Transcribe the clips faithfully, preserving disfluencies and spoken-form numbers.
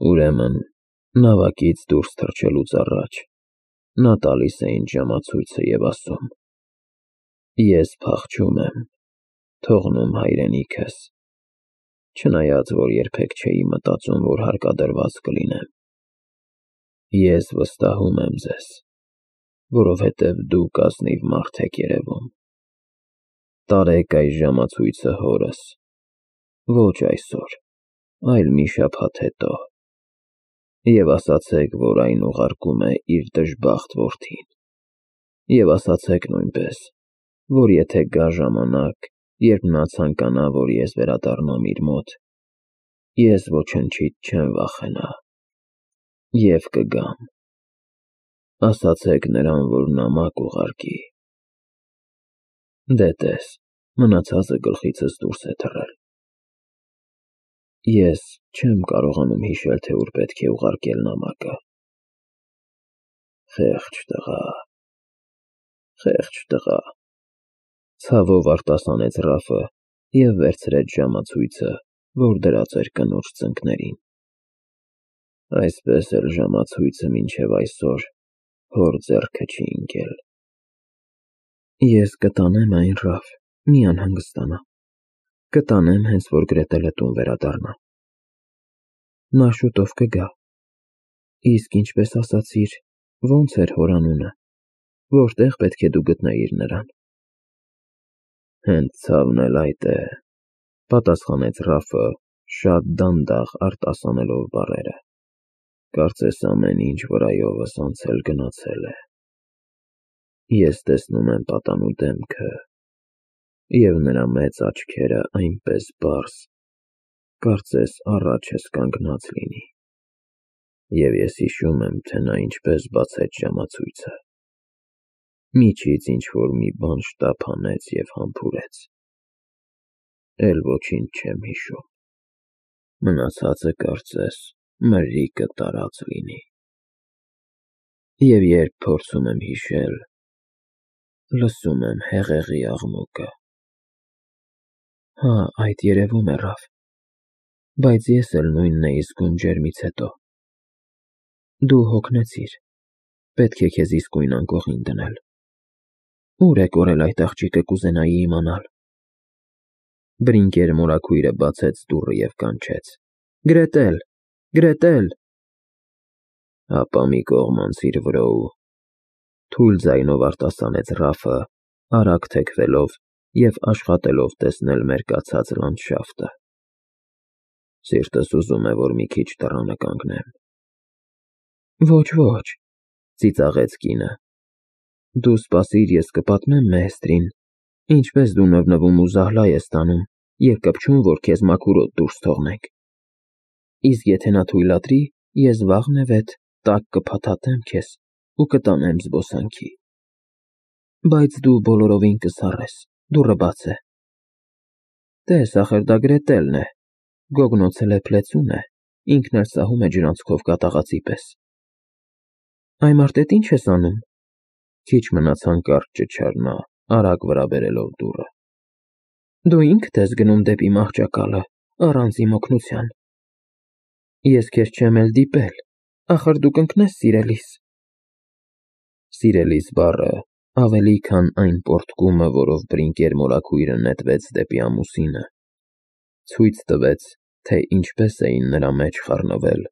Ուրեմն, նավակից դուրս թռչելուց առաջ նա տալիս է ինձ ժամացույցը և ասում. «Ես փախչում եմ, թողնում հայրենիքս, չնայած որ երբեք չէի մտածում, որ հարկադրված կլինեմ։ Ես վստահում եմ ձեզ, որովհետև դուք ազնիվ մարդ եք երևում։ Տարեք այս ժամացույցը հորս, ոչ այսօր, այլ մի շաբաթ հետո, և ասացեք, որ այն ուղարկում է իր դժբախտ որդին, և ասացեք նույնպես, որ եթե գա ժամանակ, երբ նա ցանկանա, որ ես վերադառնամ իր մոտ, ես ոչնչից չեմ վախենա, և կգամ։ Ասացեք նրան, որ նամակ ուղարկի։ Դե տես, մնացածը գլխիցս դուրս է թռել։ Ես չեմ կարողանում հիշել, թե ուր պետք է ուղարկել նամակը։ Խեղճ տղա, խեղճ տղա, ցավով արտասանեց Ռաֆը և վերցրեց ժամացույցը, որ դրած էր կնոջ ծնկներին։ Այսպես էլ ժամացույցը մինչև այսօր հոր ձեռքը չի ընկել։ Ես կտանեմ այն, Ռաֆ, մի անհանգստանա, կտանեմ, հենց որ Գրետելը տուն վերադառնա։ Նա շուտով կգա։ Իսկ ինչպես ասացիր, ո՞նց էր հոր անունը, որտեղ պետք է դու գտնեիր նրան։ Հենց ցավն էլ այդ է, պատասխանեց Ռաֆը, շատ դանդաղ արտասանելով բառերը, կարծես ամեն ինչ վրայովս անցել գնացել է։ Ես տեսնում եմ պատանու դեմքը, և նրա մեծ աչքերը այնպես պարզ, կարծես առաջս կանգնած լինի, և ես հիշում եմ, թե նա ինչպես բացեց ժամացույցը, միջից ինչ-որ մի բան շտապ հանեց և համբուրեց։ Էլ ոչինչ չեմ հիշում, մնացածը կարծես մրրիկը տարած լինի։ Եվ երբ փորձում եմ հիշել, լսում եմ հեղեղի աղմուկը։ Հա, այդ երևում է, Ռաֆ, բայց ես էլ նույնն էի զգում ջերմից հետո։ Դու հոգնեցիր, պետք է քեզ իսկույն անկողին դնել։ Ո՞ւր է կորել այդ աղջիկը, կուզենայի իմանալ։ Բրինկեր մորաքույրը բացեց դուռը և կանչեց. Գրետել, Գրետել։ Ապա մի կողմ անցիր վրո, թույլ ձայնով արտասանեց Ռաֆը, արագ թեքվելով և աշխատելով տեսնել մերկացած լանդշաֆտը։ Սիրտս ուզում է, որ մի քիչ դռանը կանգնեմ։ Ոչ, ոչ, ծիծաղեց կինը։ Դու սպասիր, ես կպատմեմ մեհստրին, ինչպես դու նվնվում ու զահլա ես տանում և կպչում, որ քեզ մաքուր օդ դուրս թողնենք։ Իսկ եթե նա թույլատրի, ես վաղնևեթ տակ կփաթաթեմ քեզ ու կտանեմ զբոսանքի։ Բայց դու բոլորովին կսառես, դուռը բաց է։ Տես, ախր դա Գրետելն է, գոգնոցել է փլեցուն է, ինքն էլ սահում է ջրանցքով կատաղածի պես։ Այ մարդ էդ ինչ ես անում։ Քիչ մնաց հանկարծ ճչար նա, արագ վրա բերելով դուռը։ Դու ինքդ ես գնում դեպի մահճակալը, առանց իմ օգնության։ Ես քեզ չեմ էլ դիպել, ախր դու կընկնես սիրելիս։ Սիրելիս բառը, ավելի քան այն պոռթկումը, որով բրինկեր մորաքույրը նետվեց դեպի ամուսինը, ցույց տվեց, թե ինչպես էին նրա մեջ խառնվել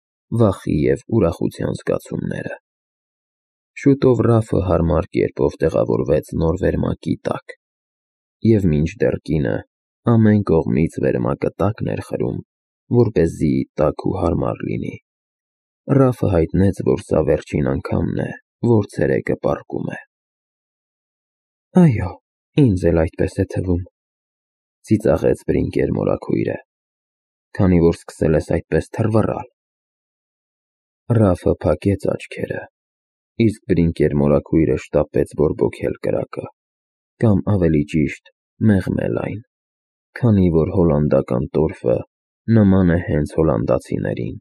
վախի և ուրախության զգացումները։ Շուտով Ռաֆը հարմար կերպով տեղավորվեց նոր վերմակի տակ, և մինչդեռ կինը ամեն կողմից վերմակը տակն էր խրում, որպեսզի տաք ու հարմար լինի, Ռաֆը հայտնեց, որ սա վերջին անգամն է, որ ցերեկը պառկում է։ Այո, ինձ էլ այդպես է թվում, ծիծաղեց բրինկեր մորաքույրը, քանի որ սկսել ես այդպես թռվռալ։ Ռաֆը փակեց աչքերը, իսկ բրինկեր մորաքույրը շտապեց բորբոքել կրակը, կամ ավելի ճիշտ մեղմել այն, քանի որ հոլանդական տորֆը նման է հենց հոլանդացիներին,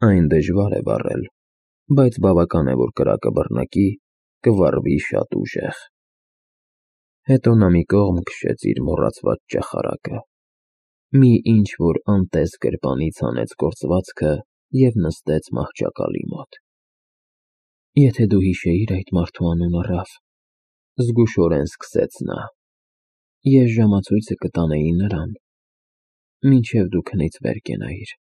այն դժվար է վառել, բայց բավական է, որ կրակը բռնկի, կվառվի շատ ուժեղ։ Հետո նա մի կողմ քշեց իր մոռացված ճախարակը, մի ինչ-որ անտես գրպանից հանեց գործվածքը և նստեց մահճակալի մոտ։ Եթե դու հիշեիր այդ մարդու անունը, Ռաֆ, զգուշորեն սկսեց նա, ես ժամացույցը կտանեի նրան, մինչև դու քնից վեր կենայիր։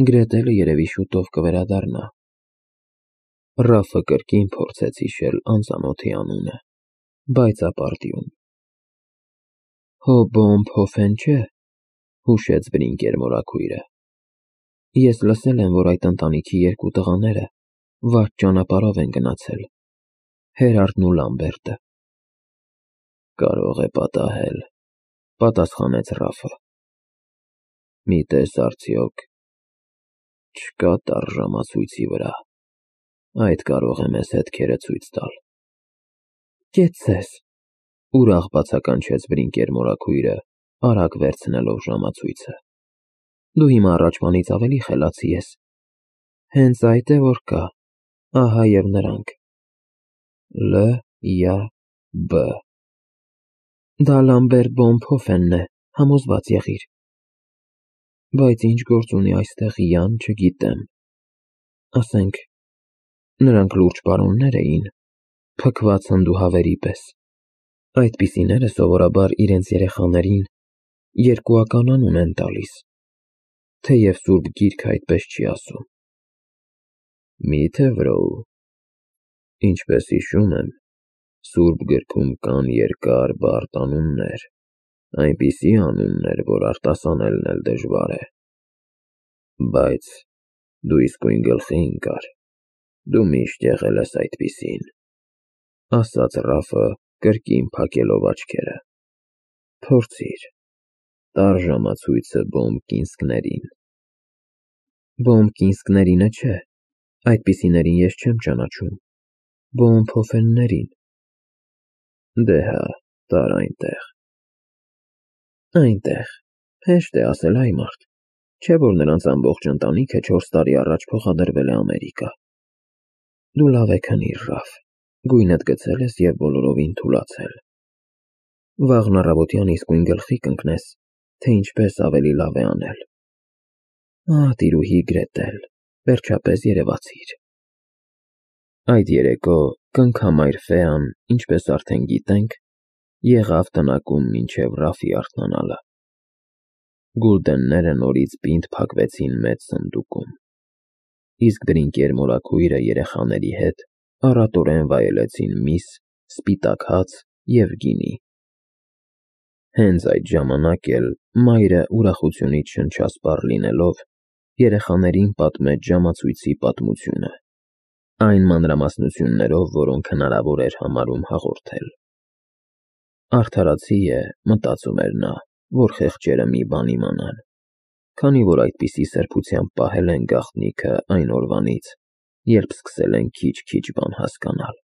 Գրետելը երևի շուտով կվերադառնա։ Ռաֆը կրկին փորձեց հիշել անծանոթի անունը, բայց ապարդյուն։ Հոբոմ Փոֆեն չէ, հուշեց Բրինկեր մորաքույրը։ Ես լսել եմ, որ այդ ընտանիքի երկու տղաները վատ ճանապարհով են գնացել, Հերարդն ու Լամբերտը։ Կարող է պատահել, պատասխանեց Ռաֆը։ Մի տես արդյոք չկա տար ժամացույցի վրա, այդ կարող է մեզ հետքերը ցույց տալ։ Կեցցես, ուրախ բացականչեց Բրինկեր մորաքույրը, արագ վերցնելով ժամացույցը։ Դու հիմա առաջվանից ավելի խելացի ես։ Հենց այդ է, որ կա, ահա և նրանք։ Լ Յ B Դա Լամբերտ Բոմ Փոֆենն է, համոզված եղիր։ Բայց ինչ գործ ունի այստեղ Յան, չգիտեմ։ Ասենք, նրանք լուրջ պարոններ էին, փքված հնդուհավերի պես։ Այդպիսիները սովորաբար իրենց երեխաներին երկուական անուն են տալիս, թեև Սուրբ Գիրքը այդպես չի ասում։ Մի՞թե Վրոու։ Ինչպես հիշում եմ, Սուրբ Գրքում կան երկար բարդ անուններ, այնպիսի անուններ, որ արտասանելն էլ դժվար է։ Բայց դու իսկույն գլխի ընկար, դու միշտ եղել ես այդպիսին, ասաց Ռաֆը, կրկին փակելով աչքերը։ Փորձիր, տար ժամացույցը Բոմ Կինսկներին։ Բոմ Կինսկներինը չէ, այդպիսիներին ես չեմ ճանաչում, Բոմ Փոֆեններին։ Դե հա, տար այնտեղ։ Այնտեղ, հեշտ է ասել, այ մարդ, չէ՞ որ նրանց ամբողջ ընտանիքը չորս տարի առաջ փոխադրվել է Ամերիկա։ Դու լավ է քնիր, Ռաֆ, գույնդ գցել ես և բոլորովին թուլացել։ Վաղն առավոտյան իսկույն գլխի կընկնես, թե ինչպես ավելի լավ է անել։ Ահ, տիրուհի Գրետել, վերջապես երևացիր։ Այդ երեկո կնքամայր Ֆեան, ինչպես արդեն գիտենք, եղավ տնակում մինչև Ռաֆի արթնանալը։ Գուլդենները նորից պինդ փակվեցին մեծ սնդուկում, իսկ Բրինկեր մորաքույրը երեխաների հետ առատորեն վայելեցին միս, սպիտակ հաց և գինի։ Հենց այդ ժամանակ էլ մայրը ուրախությունից շնչասպառ լինելով, երեխաներին պատմեց ժամացույցի պատմությունը, այն մանրամասնություններով, որոնք հնարավոր էր համարում հաղորդել։ Արդարացի է, մտածում էր նա, որ խեղճերը մի բան իմանան, քանի որ այդպիսի սրբությամբ պահել են գաղտնիքը այն օրվանից, երբ սկսել են քիչ-քիչ բան հասկանալ։